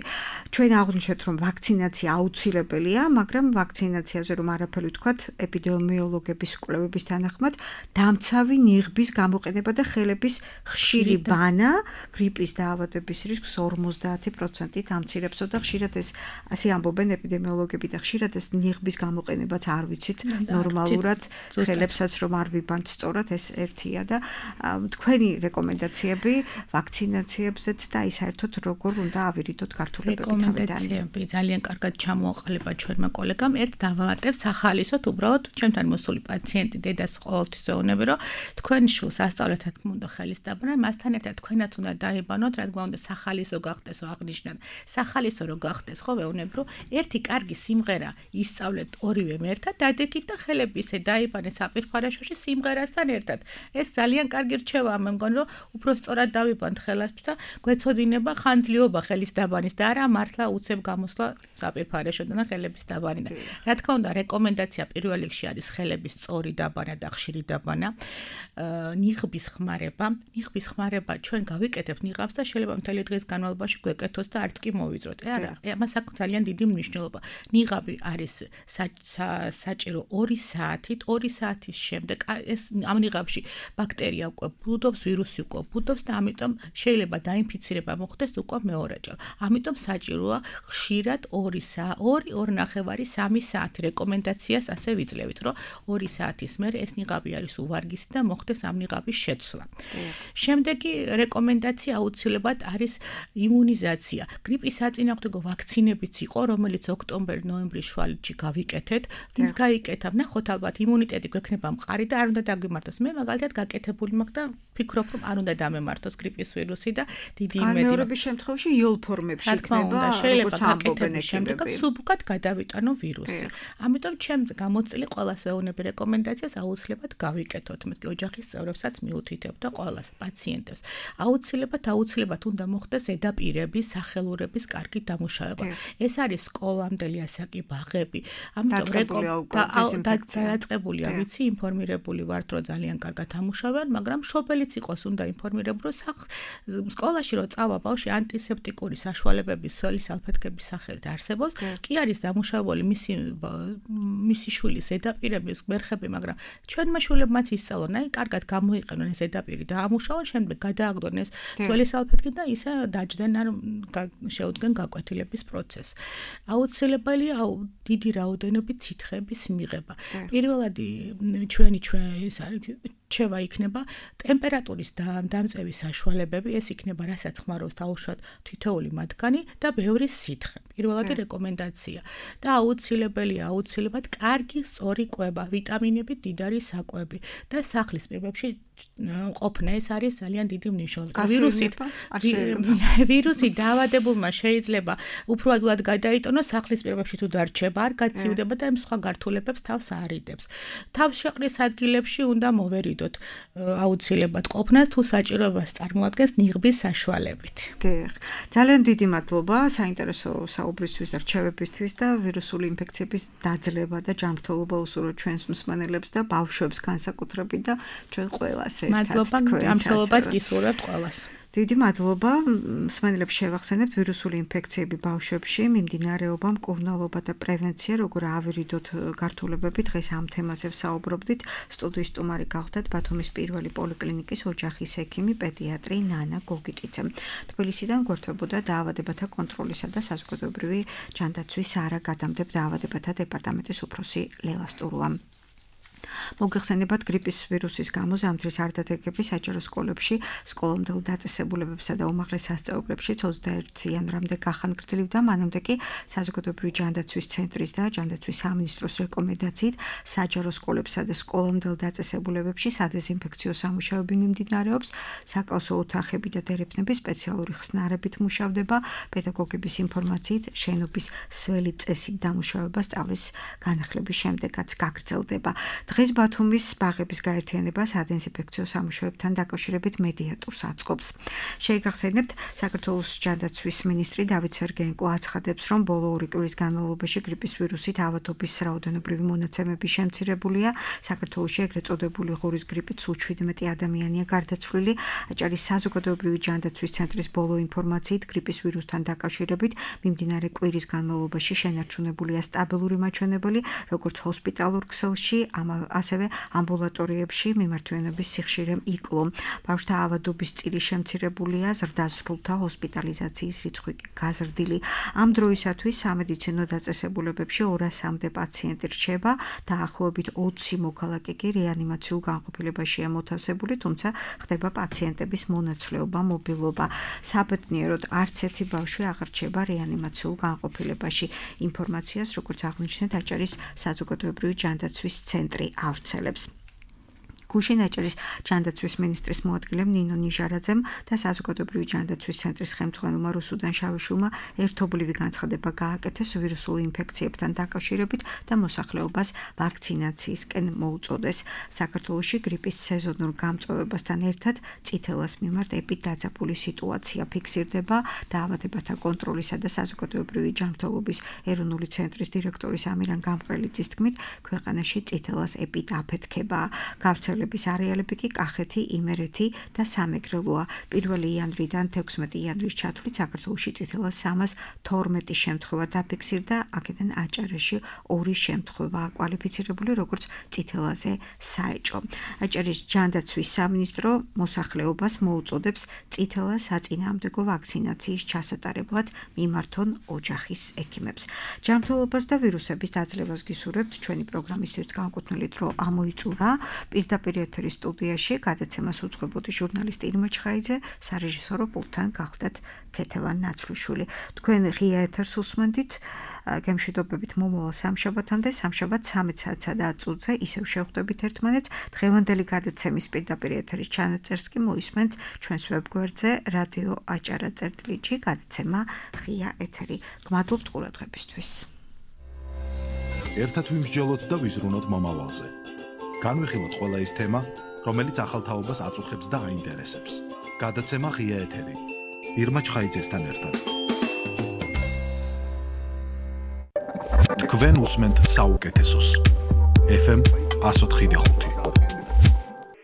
ჩვენ აღვნიშნეთ, რომ ვაქცინაცია აუცილებელია, მაგრამ ვაქცინაციაზე რომ არაფერი ვთქვათ, ეპიდემიოლოგების კვლევების თანახმად დამცავი ნიღბის გამოყენება და ხელების ხშირი ბანა გრიპის დაავადების რისკს ორმოცდაათი პროცენტით ამცირებსო და ხშირად ეს ასე ამბობენ ეპიდემიოლოგები და ხშირად ეს ნიღბის გამოყენებაც არ ვიცით ნორმალურად ხელებსაც რომ არ ვიბანთ სწორად ეს ერთია და თქვენი რეკომენდაციები ვაქცინაციებზეც და აი საერთოდ როგორ უნდა ავირიდოთ გართულებები თავიდან. რეკომენდაციები ძალიან კარგად ჩამოაყალიბა ჩვენმა კოლეგამ. ერთ დავამატებ სახალისოდ უბრალოდ ჩვენთან მოსული პაციენტი დედას ყოველთვის ვეუბნები, რომ თქვენ შვილს ასწავლეთ რა თქმა უნდა ხელის დაბანა, მასთან ერთად თქვენაც უნდა დაიბანოთ, რა თქმა უნდა სახალისო გახდეს აღნიშნან. სახალისო რო გახდეს, ხო ვეუბნები, რომ ერთი კარგი სიმღერა ისწავლეთ ორივემ ერთად, დადექით და ხელები ისე დაიბანეთ საპირფარეშოში სიმღერასთან ერთად. ეს ძალიან კარგი რჩევაა, მე მგონი, რომ უფრო სწორად დავიბანთ ხელებს და გვეცოდინება ხანძლიობა ხელის დაბანის და არა მართლა უცებ გამოსვლა საპირფარეშოდან და ხელების დაბანიდან. რა თქმა უნდა, რეკომენდაცია პირველ რიგში არის ხელების სწორი დაბანა და ხშირი დაბანა. ნიღბის ხმარება, ნიღბის ხმარება ჩვენ გავიკეთებთ ნიღაბს და შეიძლება მთელი დღის განმავლობაში გვეკეთოს და არც კი მოვიწროთ. არა, ამას აქვს ძალიან დიდი მნიშვნელობა. ნიღაბი არის საჭირო ორი საათით, ორი საათის შემდეგ ეს ამ ნიღაბში ბაქტერია უკვე ბუდობს, ვირუსი უკვე ბუდობს და ამიტომ შეიძლება დაინფიცირება მოხდეს უკვე მეორეჯერ. ამიტომ საჭიროა ხშირად ორი საათი, ორი, ორი ნახევარი, სამი საათი რეკომენდაციას ასე ვიძლევით, რომ ორი საათის მერე ეს ნიღაბი არის უვარგისი და მოხდეს ამ ნიღაბის შეცვლა. შემდეგი რეკომენდაცია აუცილებლად არის იმუნიზაცია. გრიპის საწინააღმდეგო ვაქცინებიც იყო, რომელიც ოქტომბერ-ნოემბრის შუალედში გავიკეთეთ. ვინც გაიკეთა, ნახოთ ალბათ იმუნიტეტი გვექნება მყარი და არ უნდა დაგვიმართოს. მე მაგალითად გაკეთებული მაქვს და ფიქრობ, რომ არ უნდა დამემართოს გრიპის ვირუსი და დიდი იმედი. განმეორების შემთხვევაში იოლ ფორმებში იქნება, შეიძლება გაკეთების შემდეგ სუბუქად გადავიტანო ვირუსი. ამიტომ ჩემს გამოწილი ყველას ვეუბნები რეკომენდაციას აუცილებლად გავიკეთოთ. მეთქი ოჯახის წევრებსაც მიუთითებ და ყველას პაციენტებს. აუცილებლად აუცილებლად უნდა მოხდეს ზედაპირების, სახელურების კარგი დამუშავება. ეს არის სკოლამდელი ასაკი, ბაღები. ამიტომ დაწყებულია, ვიცი, ინფორმირებული ვართ, რომ ძალიან კარგად ამუშავებენ, მაგრამ მშობელიც იყოს უნდა ინფორმირებული, რომ სკოლაში რო წავა ბავშვი ანტისეპტიკური საშუალებების სველი სალფეთქების სახელით არსებობს, კი არის დამუშავებული მისი მისი შვილის ზედაპირების გვერხები, მაგრამ ჩვენმა შვილებმაც ისწავლონ, აი კარგად გამოიყენონ ეს ზედაპირი და ამუშავონ, შემდეგ გადააგდონ ეს სველი სალფეთქი და ისე დაჯდნენ არ შეუდგენ გაკვეთილების პროცესს. აუცილებელია დიდი რაოდენობით სითხეების მიღება. პირველად ჩვენი ჩვენ ეს არის რჩევა იქნება ტემპერატურის დამწევის საშუალებები, ეს იქნება რასაც ხმარობს დაუშვათ თითოეული მათგანი და ბევრი სითხე. პირველადი რეკომენდაცია და აუცილებელია აუცილებლად კარგი სწორი კვება, ვიტამინები, მდიდარი საკვები და სახლის პირობებში ყოფნა ეს არის ძალიან დიდი მნიშვნელობა. ვირუსით ვირუსი დაავადებულმა შეიძლება უფრო ადვილად გადაიტანოს სახლის პირობებში თუ დარჩება, არ გაციუდება და იმ სხვა გართულებებს თავს არიდებს. თავს შეყრის ადგილებში უნდა მოვერიდოთ აუცილებლად ყოფნას თუ საჭიროებას წარმოადგენს ნიღბის საშუალებით. გეხ. ძალიან დიდი მადლობა საინტერესო საუბრისთვის და რჩევებისთვის და ვირუსული ინფექციების დაძლევა და ჯანმრთელობა უსურვოთ ჩვენს მსმენელებს და ბავშვებს განსაკუთრებით და ჩვენ ყველას ერთად. მადლობა, ჯანმრთელობას გისურვებთ ყველას. დიდი მადლობა. მსმენელებს შევახსენებთ ვირუსული ინფექციები ბავშვებში, მიმდინარეობა, მკურნალობა და პრევენცია, როგორ ავირიდოთ გართულებები. დღეს ამ თემაზე ვსაუბრობდით. სტუდიის სტუმარი გახლდათ ბათუმის პირველი პოლიკლინიკის ოჯახის ექიმი, პედიატრი ნანა გოგიტიძე. თბილისიდან გვერდებოდა დაავადებათა კონტროლისა და საზოგადოებრივი ჯანდაცვის არაგადამტებ დაავადებათა დეპარტამენტის უფროსი ლელა სტურუა. მოგეხსენებათ გრიპის ვირუსის გამო ზამთრის არდადეგები საჯარო სკოლებში, სკოლამდელ დაწესებულებებსა და უმაღლეს სასწავლებლებში ოცდაერთი იანვრამდე გახანგრძლივდა, მანამდე კი საზოგადოებრივი ჯანდაცვის ცენტრის და ჯანდაცვის სამინისტროს რეკომენდაციით საჯარო სკოლებსა და სკოლამდელ დაწესებულებებში სადეზინფექციო სამუშაოები მიმდინარეობს, საკალსო ოთახები და დერეფნები სპეციალური ხსნარებით მუშავდება, პედაგოგების ინფორმაციით შენობის სველი წესით დამუშავება სწავლის განახლების შემდეგაც გაგრძელდება. დღეს ბათუმის ბაღების გაერთიანება სადეზინფექციო სამუშაოებთან დაკავშირებით მედიატორს აწყობს. შეიგახსენებთ, საქართველოს ჯანდაცვის მინისტრი დავით სერგეენკო აცხადებს, რომ ბოლო ორი კვირის განმავლობაში გრიპის ვირუსით ავადობის რაოდენობრივი მონაცემები შემცირებულია. საქართველოში ეგრეთ წოდებული ღორის გრიპით სულ შვიდმეტი ადამიანია გარდაცვლილი. აჭარის საზოგადოებრივი ჯანდაცვის ცენტრის ბოლო ინფორმაციით გრიპის ვირუსთან დაკავშირებით მიმდინარე კვირის განმავლობაში შენარჩუნებულია სტაბილური მაჩვენებელი, როგორც ჰოსპიტალურ ქსელში, ასევე ამბულატორიებში მიმართვენების სიხშირემ იკლო. ბავშვთა ავადობის წილი შემცირებულია, ზრდასრულთა ჰოსპიტალიზაციის რიცხვი გაზრდილი. ამ დროისათვის სამედიცინო დაწესებულებებში ორასამდე პაციენტი რჩება, დაახლოებით ოცი მოქალაქე კი რეანიმაციულ განყოფილებაშია მოთავსებული, თუმცა ხდება პაციენტების მონაცვლეობა, მობილობა. საბედნიეროდ არც ერთი ბავშვი აღარ რჩება რეანიმაციულ განყოფილებაში. ინფორმაციას, როგორც აღნიშნეთ, აჭარის საზოგადოებრივი ჯანდაცვის ცენტრი ავრცელებს. გუშინ აჭარის ჯანდაცვის მინისტრის მოადგილემ ნინო ნიჟარაძემ და საზოგადოებრივი ჯანდაცვის ცენტრის ხელმძღვანელმა რუსუდან შავიშვილმა ერთობლივი განცხადება გააკეთეს ვირუსულ ინფექციებთან დაკავშირებით და მოსახლეობას ვაქცინაციისკენ მოუწოდეს. საქართველოში გრიპის სეზონურ გამწვავებასთან ერთად წითელას მიმართ ეპიდაძაბული სიტუაცია ფიქსირდება. დაავადებათა კონტროლისა და საზოგადოებრივი ჯანმრთელობის ეროვნული ცენტრის დირექტორის ამირან გამყრელიძის თქმით, ქვეყანაში წითელას ეპიდაფეთქება. გავრცელებული არეალები კი კახეთი, იმერეთი და სამეგრელოა. პირველი იანვრიდან თექვსმეტი იანვრის ჩათვლით საქართველოში წითელას სამას თორმეტი შემთხვევა დაფიქსირდა, აქედან აჭარაში ორი შემთხვევა კვალიფიცირებული როგორც წითელაზე საეჭო. აჭარის ჯანდაცვის სამინისტრო მოსახლეობას მოუწოდებს წითელას საწინააღმდეგო ვაქცინაციის ჩასატარებლად მიმართონ ოჯახის ექიმებს. ჯანმრთელობას და ვირუსების დაძლევას გისურვებთ. ჩვენი პროგრამისთვის განკუთვნილი დრო ამოიწურა. პირდაპირ ეთერის სტუდიაში გადაცემას უძღვებოდი ჟურნალისტი ირმა ჩხაიძე, სარეჟისორო პულტთან გახლდათ ქეთევან ნაცრუშვილი. თქვენ ღია ეთერს უსმენდით, გემშვიდობებით მომავალ სამშაბათამდე, სამშაბათ ცამეტ საათსა და ათს წუთზე ისევ შევხვდებით ერთმანეთს. დღევანდელი გადაცემის პირდაპირ ეთერის ჩანაწერს კი მოისმენთ ჩვენს ვებგვერდზე რადიო აჭარა წერტილი ჯი, გადაცემა ღია ეთერი. გმადლობთ ყურადღებისთვის. ერთად ვიმსჯელოთ და ვიზრუნოთ მომავალზე. განვიხილოთ ყველა ის თემა, რომელიც ახალ თაობას აწუხებს და აინტერესებს. გადაცემა ღია ეთერი. ირმა ჩხაიძესთან ერთად. თქვენ უსმენთ საუკეთესოს. ეფ ემ one oh five.